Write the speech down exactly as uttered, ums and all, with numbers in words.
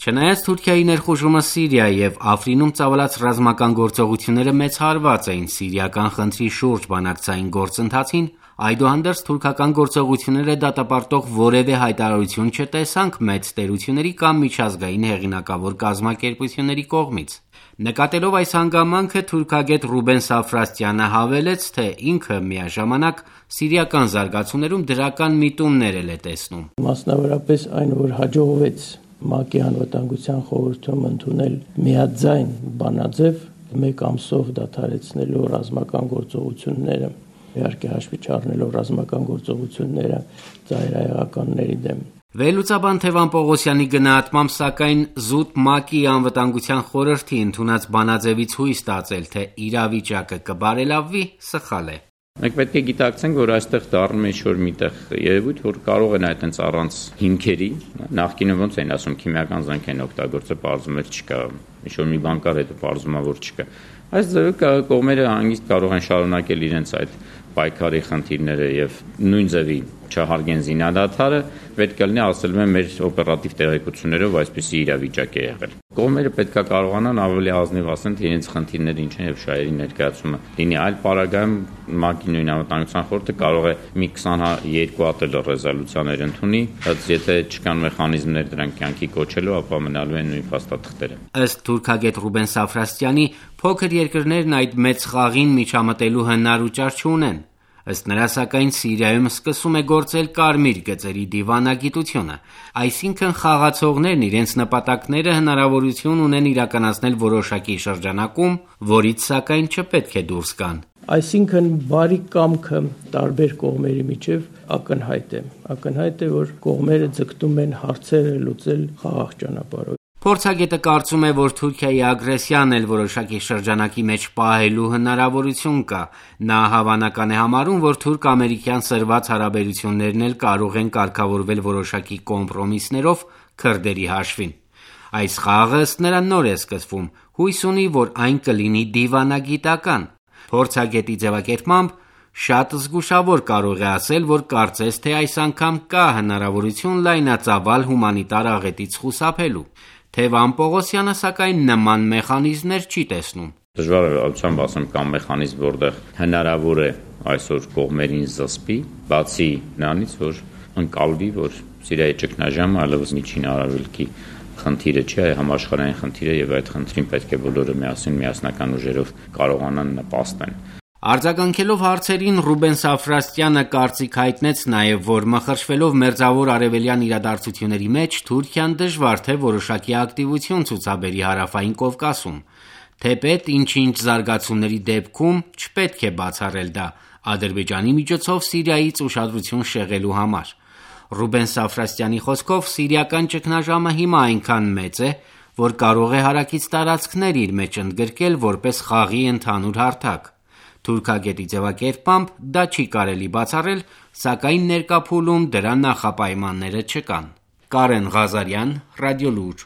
Չնայած Թուրքիայի ներխուժումը Սիրիա եւ Աֆրինում ծավալած ռազմական գործողությունները մեծ հարված էին սիրիական խնդրի շուրջ բանակցային գործընթացին, այդուհանդերձ թուրքական գործողությունները դատապարտող որևէ հայտարարություն չտեսանք մեծ տերությունների կամ միջազգային հեղինակավոր կազմակերպությունների կողմից։ Նկատելով այս հանգամանքը թուրքագետ Ռուբեն Սաֆրաստյանը հավելեց, թե ինքը միաժամանակ սիրիական զարգացումներում դրական միտումներ է տեսնում։ Մասնավորապես այն, որ հաջողվեց ՄԱԿ-ի անվտանգության խորհրդում ընդունել միաձայն բանաձև մեկ ամսով դադարեցնելու ռազմական գործողությունները, իհարկե հաշվի չառնելով ռազմական գործողությունները ծայրահեղականների դեմ։ Վերլուծաբան Թևան Պողոսյանի գնահատմամբ, սակայն զուտ ՄԱԿ-ի անվտանգության խորհրդի ընդունած բանաձևից հույս տածել, թե իրավիճակը կբարելավվի, սխալ է։ Մենք պետք է գիտակցենք, որ այստեղ դառնում է ինչ-որ միտեղ երևույթ, որ կարող են այդպես առանց հիմքերի, նախկինում ոնց են ասում, քիմիական զենք են օգտագործել, պարզում է չկա, ինչ-որ մի բան կար, հետո պարզում է, որ չկա։ Այս ձևով կողմերը հանգիստ կարող են շարունակել իրենց այդ պայքարի խնդիրները եւ նույն ձևի չհարգեն զինադադարը, պետք է լինի ասել եմ մեր օպերատիվ տեղեկություններով այսպիսի իրավիճակ է եղել։ Կողմերը պետք է կարողանան ավելի ազնիվ ասեն, թե իրենց խնդիրները ինչ են եւ շահերի ներկայացումը լինի այլ պարագայում ՄԱԿ-ի նույն անվտանգության խորհուրդը կարող է մի քսաներկու հատ ռեզոլյուցիաներ ընդունի, բայց եթե չկան մեխանիզմներ դրանք կյանքի կոչելու, ապա մնալու են նույն փաստաթղթերը։ Ըստ թուրքագետ Ռուբեն Սաֆրաստյանի, փոքր երկրներն այդ մեծ խաղին միջամտելու հնար ու ճար չունեն։ Ըստ նրա, սակայն Սիրիայում սկսում է գործել կարմիր գծերի դիվանագիտությունը, այսինքն խաղացողներն իրենց նպատակները հնարավորություն ունեն իրականացնել որոշակի շրջանակում, որից սակայն չպետք է դուրս գան։ Այսինքն բարի կամքը տարբեր կողմերի միջև ակնհայտ է, ակնհայտ է, որ կողմերը ձգտում են հարցերը լուծել խաղաղ ճանապարհով։ Փորձագետը կարծում է, որ Թուրքիայի ագրեսիան էլ որոշակի շրջանակի մեջ պահելու հնարավորություն կա։ Նա հավանական է համարում, որ թուրք-ամերիկյան սրված հարաբերություններն էլ կարող են կարգավորվել որոշակի կոմպրոմիսներով քրդերի հաշվին։ Այս խաղը ըստ նրա նոր է սկսվում, հույս ունի, որ այն կլինի դիվանագիտական։ Փորձագետի ձևակերպմամբ, շատ զգուշավոր կարող է ասել, որ կարծես թե այս անգամ կա հնարավորություն լայնածավալ հումանիտար աղետից խուսափելու։ Թևան Պողոսյանը սակայն նման մեխանիզմներ չի տեսնում։ Դժվար է ալցան ասեմ կամ մեխանիզմ, որտեղ հնարավոր է այսօր կողմերին զսպի, բացի նրանից, որ ընկալվի, որ Սիրիայի ճգնաժամը այլևս միջին արևելքի խնդիրը չի, այլ համաշխարհային խնդիր է եւ այդ խնդրին պետք է բոլորը միասին միասնական ուժերով կարողանան նպաստեն։ Արձագանքելով հարցերին Ռուբեն Սաֆրաստյանը կարծիք հայտնեց նաև, որ մխրճվելով մերձավոր արևելյան իրադարձությունների մեջ Թուրքիան դժվար թե որոշակի ակտիվություն ցուցաբերի հարավային Կովկասում, թեպետ ինչ-ինչ զարգացումների դեպքում չպետք է բացառել դա Ադրբեջանի միջոցով Սիրիայից ուշադրություն շեղելու համար։ Ռուբեն Սաֆրաստյանի խոսքով սիրիական ճգնաժամը հիմա այնքան մեծ է, որ կարող է հարակից տարածքներ իր մեջ ընդգրկել որպես խաղի ընդհանուր հարթակ։ Թուրքագետի ձևակերպմամբ դա չի կարելի բացառել, սակայն ներկա փուլում դրա նախապայմանները չկան։ Կարեն Ղազարյան, Ռադիոլուր։